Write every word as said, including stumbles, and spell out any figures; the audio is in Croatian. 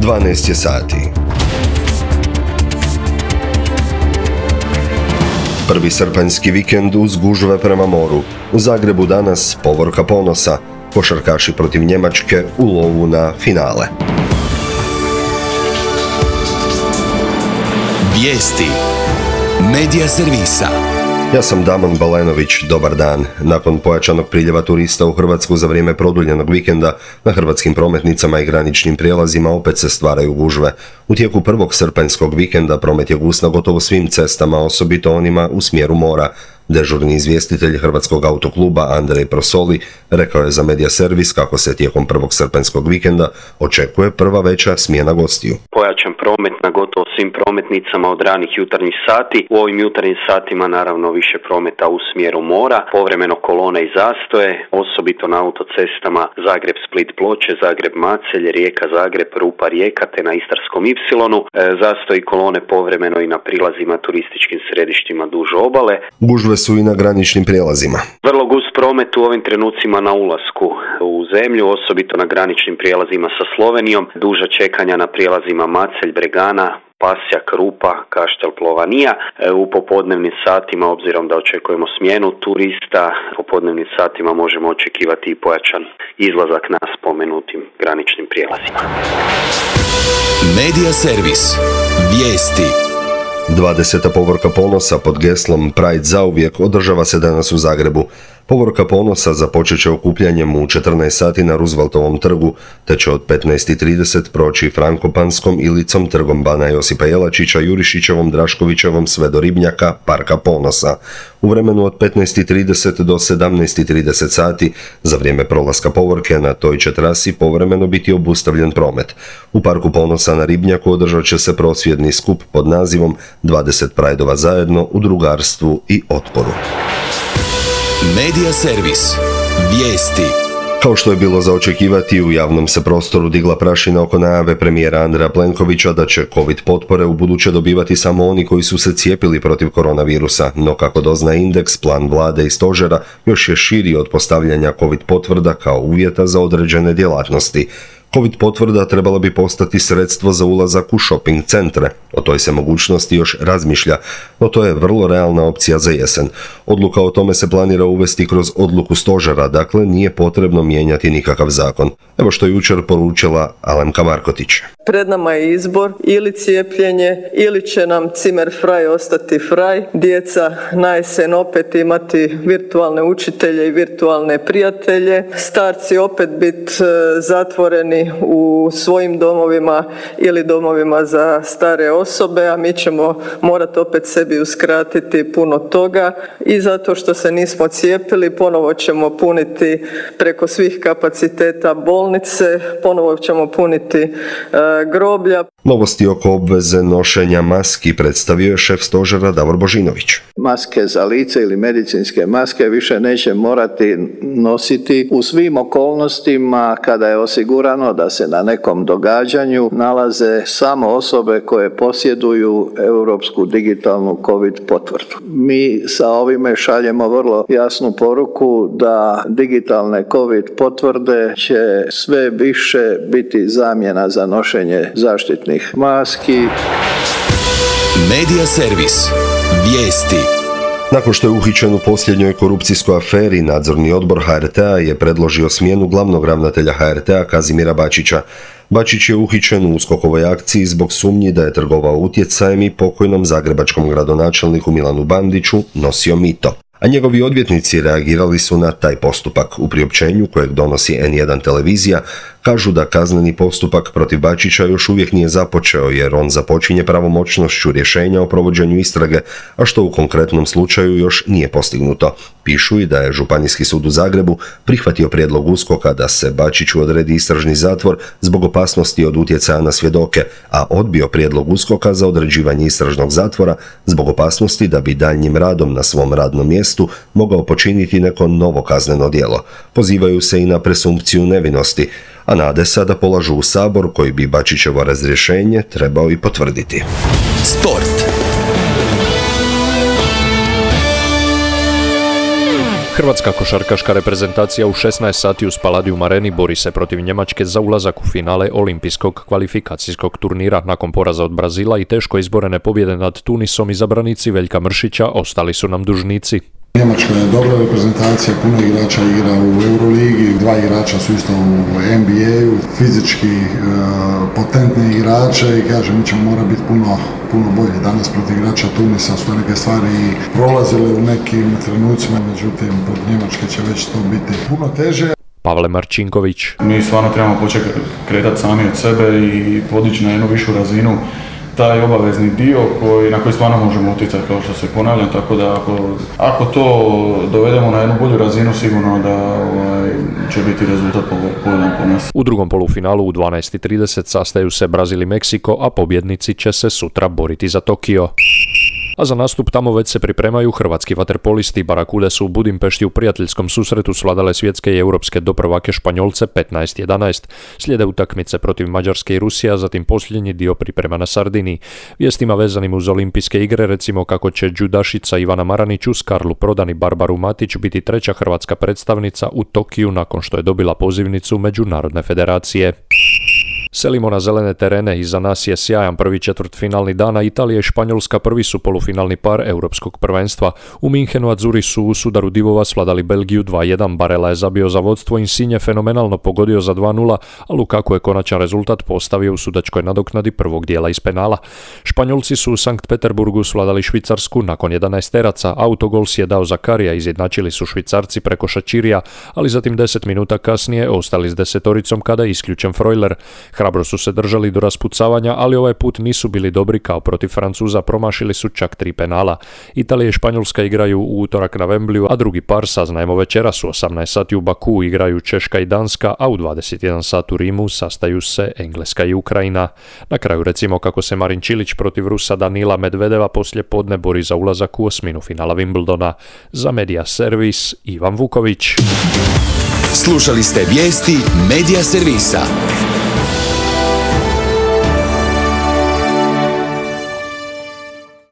dvanaest je sati. Prvi srpanjski vikend uz gužve prema moru. U Zagrebu danas povorka ponosa. Košarkaši protiv Njemačke u lovu na finale. Vijesti Medija servisa. Ja sam Damon Balenović, dobar dan. Nakon pojačanog priljeva turista u Hrvatsku za vrijeme produljenog vikenda, na hrvatskim prometnicama i graničnim prijelazima opet se stvaraju gužve. U tijeku prvog srpanjskog vikenda promet je gust na gotovo svim cestama, osobito onima u smjeru mora. Dežurni izvjestitelj Hrvatskog autokluba Andrej Prosoli rekao je za Medija servis kako se tijekom prvog srpanjskog vikenda očekuje prva veća smjena gostiju. Pojačan promet na gotovo svim prometnicama od ranih jutarnjih sati. U ovim jutarnjim satima naravno više prometa u smjeru mora, povremeno kolone i zastoje, osobito na autocestama Zagreb-Split-Ploče, Zagreb-Macelj, Rijeka-Zagreb, Rupa-Rijeka te na Istarskom Ipsilonu. E, zastoji kolone povremeno i na prilazima turističkim središtima duž obale. Gužve su i na graničnim prijelazima. Vrlo gust promet u ovim trenucima na ulasku u zemlju, osobito na graničnim prijelazima sa Slovenijom, duža čekanja na prijelazima Macelj, Bregana, Pasjak, Rupa, Kaštel, Plovanija. U popodnevnim satima, obzirom da očekujemo smjenu turista, u popodnevnim satima možemo očekivati i pojačan izlazak na spomenutim graničnim prijelazima. Medija servis. Vijesti. dvadeseta povorka ponosa pod geslom Pride zauvijek održava se danas u Zagrebu. Povorka ponosa započet će okupljanjem u četrnaest sati na Rooseveltovom trgu, te će od petnaest i trideset proći Frankopanskom, Ilicom, trgom Bana Josipa Jelačića, Jurišićevom, Draškovićevom sve do Ribnjaka, Parka ponosa. U vremenu od petnaest i trideset do sedamnaest i trideset sati, za vrijeme prolaska povorke na toj će trasi povremeno biti obustavljen promet. U Parku ponosa na Ribnjaku održat će se prosvjedni skup pod nazivom dvadeset Prideova zajedno u drugarstvu i otporu. Medija servis. Vijesti. Kao što je bilo za očekivati, u javnom se prostoru digla prašina oko najave premijera Andreja Plenkovića da će COVID potpore u buduće dobivati samo oni koji su se cijepili protiv koronavirusa, no kako dozna indeks, plan vlade i stožera još je širi od postavljanja COVID potvrda kao uvjeta za određene djelatnosti. COVID potvrda trebala bi postati sredstvo za ulazak u shopping centre. O toj se mogućnosti još razmišlja, no to je vrlo realna opcija za jesen. Odluka o tome se planira uvesti kroz odluku stožera, dakle nije potrebno mijenjati nikakav zakon. Evo što je jučer poručila Alemka Markotić. Pred nama je izbor, ili cijepljenje, ili će nam Zimmer frei ostati frei. Djeca na jesen opet imati virtualne učitelje i virtualne prijatelje. Starci opet biti zatvoreni u svojim domovima ili domovima za stare osobe, a mi ćemo morati opet sebi uskratiti puno toga i zato što se nismo cijepili ponovo ćemo puniti preko svih kapaciteta bolnice, ponovo ćemo puniti e, groblja. Novosti oko obveze nošenja maski predstavio je šef stožera Davor Božinović. Maske za lice ili medicinske maske više neće morati nositi u svim okolnostima kada je osigurano da se na nekom događanju nalaze samo osobe koje posjeduju europsku digitalnu COVID potvrdu. Mi sa ovime šaljemo vrlo jasnu poruku da digitalne COVID potvrde će sve više biti zamjena za nošenje zaštitnih maski. Medija servis. Vijesti. Nakon što je uhićen u posljednjoj korupcijskoj aferi, nadzorni odbor ha er te a je predložio smjenu glavnog ravnatelja ha er te a Kazimira Bačića. Bačić je uhićen u USKOK-ovoj akciji zbog sumnji da je trgovao utjecajem i pokojnom zagrebačkom gradonačelniku Milanu Bandiću nosio mito. A njegovi odvjetnici reagirali su na taj postupak. U priopćenju kojeg donosi en jedan televizija kažu da kazneni postupak protiv Bačića još uvijek nije započeo jer on započinje pravomoćnošću rješenja o provođenju istrage, a što u konkretnom slučaju još nije postignuto. Pišu i da je Županijski sud u Zagrebu prihvatio prijedlog USKOK-a da se Bačiću odredi istražni zatvor zbog opasnosti od utjecaja na svjedoke, a odbio prijedlog USKOK-a za određivanje istražnog zatvora zbog opasnosti da bi daljnjim radom na svom radnom mjestu mogao počiniti neko novo kazneno djelo. Pozivaju se i na presumpciju nevinosti, a nade sada polažu u Sabor koji bi Bačićevo razrješenje trebao i potvrditi. Sport. Hrvatska košarkaška reprezentacija u šesnaest sati u Spaladium Areni bori se protiv Njemačke za ulazak u finale olimpijskog kvalifikacijskog turnira. Nakon poraza od Brazila i teško izborene pobjede nad Tunisom, izabranici Veljka Mršića ostali su nam dužnici. Njemačka je dobra reprezentacija, puno igrača igra u Euroligi, dva igrača su isto u N B A-u, fizički e, potentni igrače i kažem, mi ćemo mora biti puno, puno bolji. Danas protiv igrača Tunisa su neke stvari prolazile u nekim trenucima, međutim protiv Njemačke će već to biti puno teže. Pavle Marčinković. Mi stvarno trebamo početi kretati sami od sebe i podići na jednu višu razinu taj obavezni dio koji, na koji stvarno možemo utjecati, kao što se ponavljam, tako da ako, ako to dovedemo na jednu bolju razinu, sigurno da ovaj, će biti rezultat povoljan po nas. U drugom polufinalu u dvanaest i trideset sastaju se Brazil i Meksiko, a pobjednici će se sutra boriti za Tokio. A za nastup tamo već se pripremaju hrvatski vaterpolisti. Barakude su u Budimpešti u prijateljskom susretu svladale svjetske i europske doprvake Španjolce petnaest jedanaest. Slijede utakmice protiv Mađarske i Rusije, a zatim posljednji dio priprema na Sardiniji. Vijestima vezanim uz olimpijske igre, recimo kako će džudašica Ivana Maranić uz Karlu Prodan i Barbaru Matić biti treća hrvatska predstavnica u Tokiju nakon što je dobila pozivnicu Međunarodne federacije. Selimo na zelene terene, iza nas je sjajan prvi četvrtfinalni dan, a Italija i Španjolska prvi su polufinalni par europskog prvenstva. U Minhenu Azzurri su u sudaru divova svladali Belgiju dva jedan, Barella je zabio za vodstvo, Insigne fenomenalno pogodio za dva nula, a Lukaku je konačan rezultat postavio u sudačkoj nadoknadi prvog dijela iz penala. Španjolci su u Sankt Peterburgu svladali Švicarsku nakon jedanaesteraca, autogol si je dao Zakarija, izjednačili su Švicarci preko Šačirija, ali zatim deset minuta kasnije ostali s desetoricom kada je isključen Freuler. Hrabro su se držali do raspucavanja, ali ovaj put nisu bili dobri kao protiv Francuza, promašili su čak tri penala. Italija i Španjolska igraju u utorak na Wembleyu, a drugi par saznajemo večeras u osamnaest sati u Bakuu igraju Češka i Danska, a u dvadeset jedan sat u Rimu sastaju se Engleska i Ukrajina. Na kraju recimo kako se Marin Čilić protiv Rusa Danila Medvedeva poslije podne bori za ulazak u osminu finala Wimbledona. Za Media Servis Ivan Vuković. Slušali ste vijesti Media Servisa.